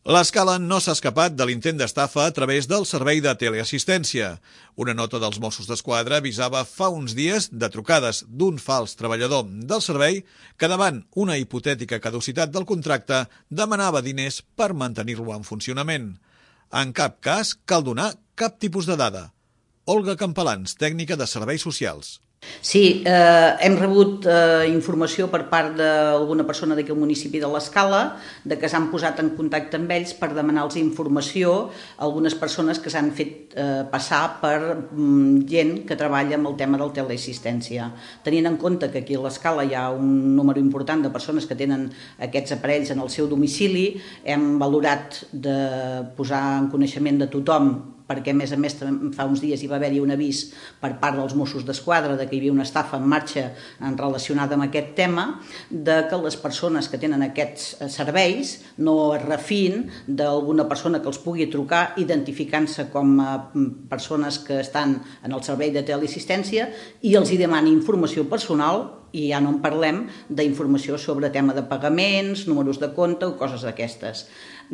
L'Escala no s'ha escapat de l'intent d'estafa a través del servei de teleassistència. Una nota dels Mossos d'Esquadra avisava fa uns dies de trucades d'un fals treballador del servei que davant una hipotètica caducitat del contracte demanava diners per mantenir-lo en funcionament. En cap cas cal donar cap tipus de dada. Olga Campalans, tècnica de Serveis Socials. Sí, hem rebut informació per part d'alguna persona d'aquí al municipi de l'Escala de que s'han posat en contacte amb ells per demanar-los informació a algunes persones que s'han fet passar per gent que treballa amb el tema del teleassistència. Tenint en compte que aquí a l'Escala hi ha un número important de persones que tenen aquests aparells en el seu domicili, hem valorat de posar en coneixement de tothom, perquè a més fa uns dies hi va haver-hi un avís per part dels Mossos d'Esquadra de que hi havia una estafa en marxa relacionada amb aquest tema, de que les persones que tenen aquests serveis no es refin d'alguna persona que els pugui trucar identificant-se com a persones que estan en el servei de teleassistència i els hi demani informació personal, i ja no en parlem d'informació sobre tema de pagaments, números de compte o coses d'aquestes.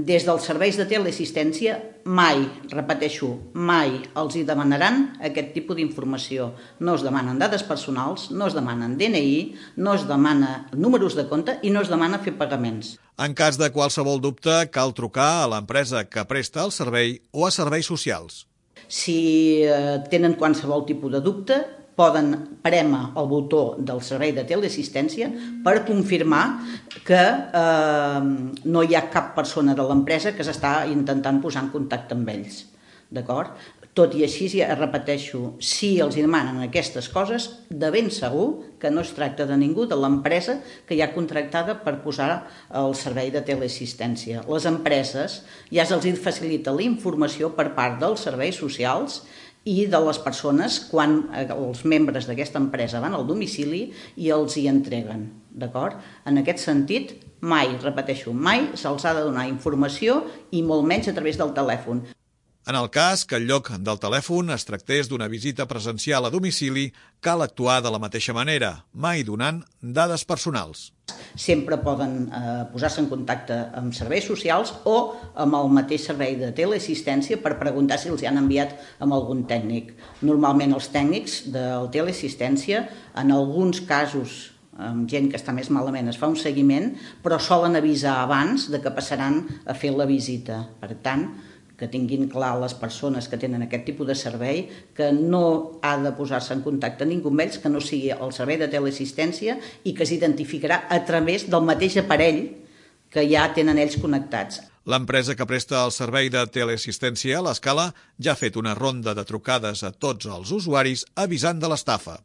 Des dels serveis de teleassistència mai, repeteixo, mai els hi demanaran aquest tipus d'informació. No es demanen dades personals, no es demanen DNI, no es demana números de compte i no es demana fer pagaments. En cas de qualsevol dubte, cal trucar a l'empresa que presta el servei o a serveis socials. Si tenen qualsevol tipus de dubte, poden prémer el botó del servei de teleassistència per confirmar que no hi ha cap persona de l'empresa que s'està intentant posar en contacte amb ells. D'acord? Tot i així, ja repeteixo, si els demanen aquestes coses, de ben segur que no es tracta de ningú de l'empresa que hi ha contractada per posar el servei de teleassistència. Les empreses ja se'ls facilita la informació per part dels serveis socials i de les persones quan els membres d'aquesta empresa van al domicili i els hi entreguen, d'acord? En aquest sentit, mai, repeteixo, mai se'ls ha de donar informació i molt menys a través del telèfon. En el cas que en lloc del telèfon es tractés d'una visita presencial a domicili, cal actuar de la mateixa manera, mai donant dades personals. Sempre poden posar-se en contacte amb serveis socials o amb el mateix servei de teleassistència per preguntar si els han enviat amb algun tècnic. Normalment els tècnics de teleassistència, en alguns casos, amb gent que està més malament, es fa un seguiment, però solen avisar abans de que passaran a fer la visita. Per tant, que tinguin clar les persones que tenen aquest tipus de servei que no ha de posar-se en contacte ningú amb ells que no sigui el servei de teleassistència i que s'identificarà a través del mateix aparell que ja tenen ells connectats. L'empresa que presta el servei de teleassistència a l'Escala ja ha fet una ronda de trucades a tots els usuaris avisant de l'estafa.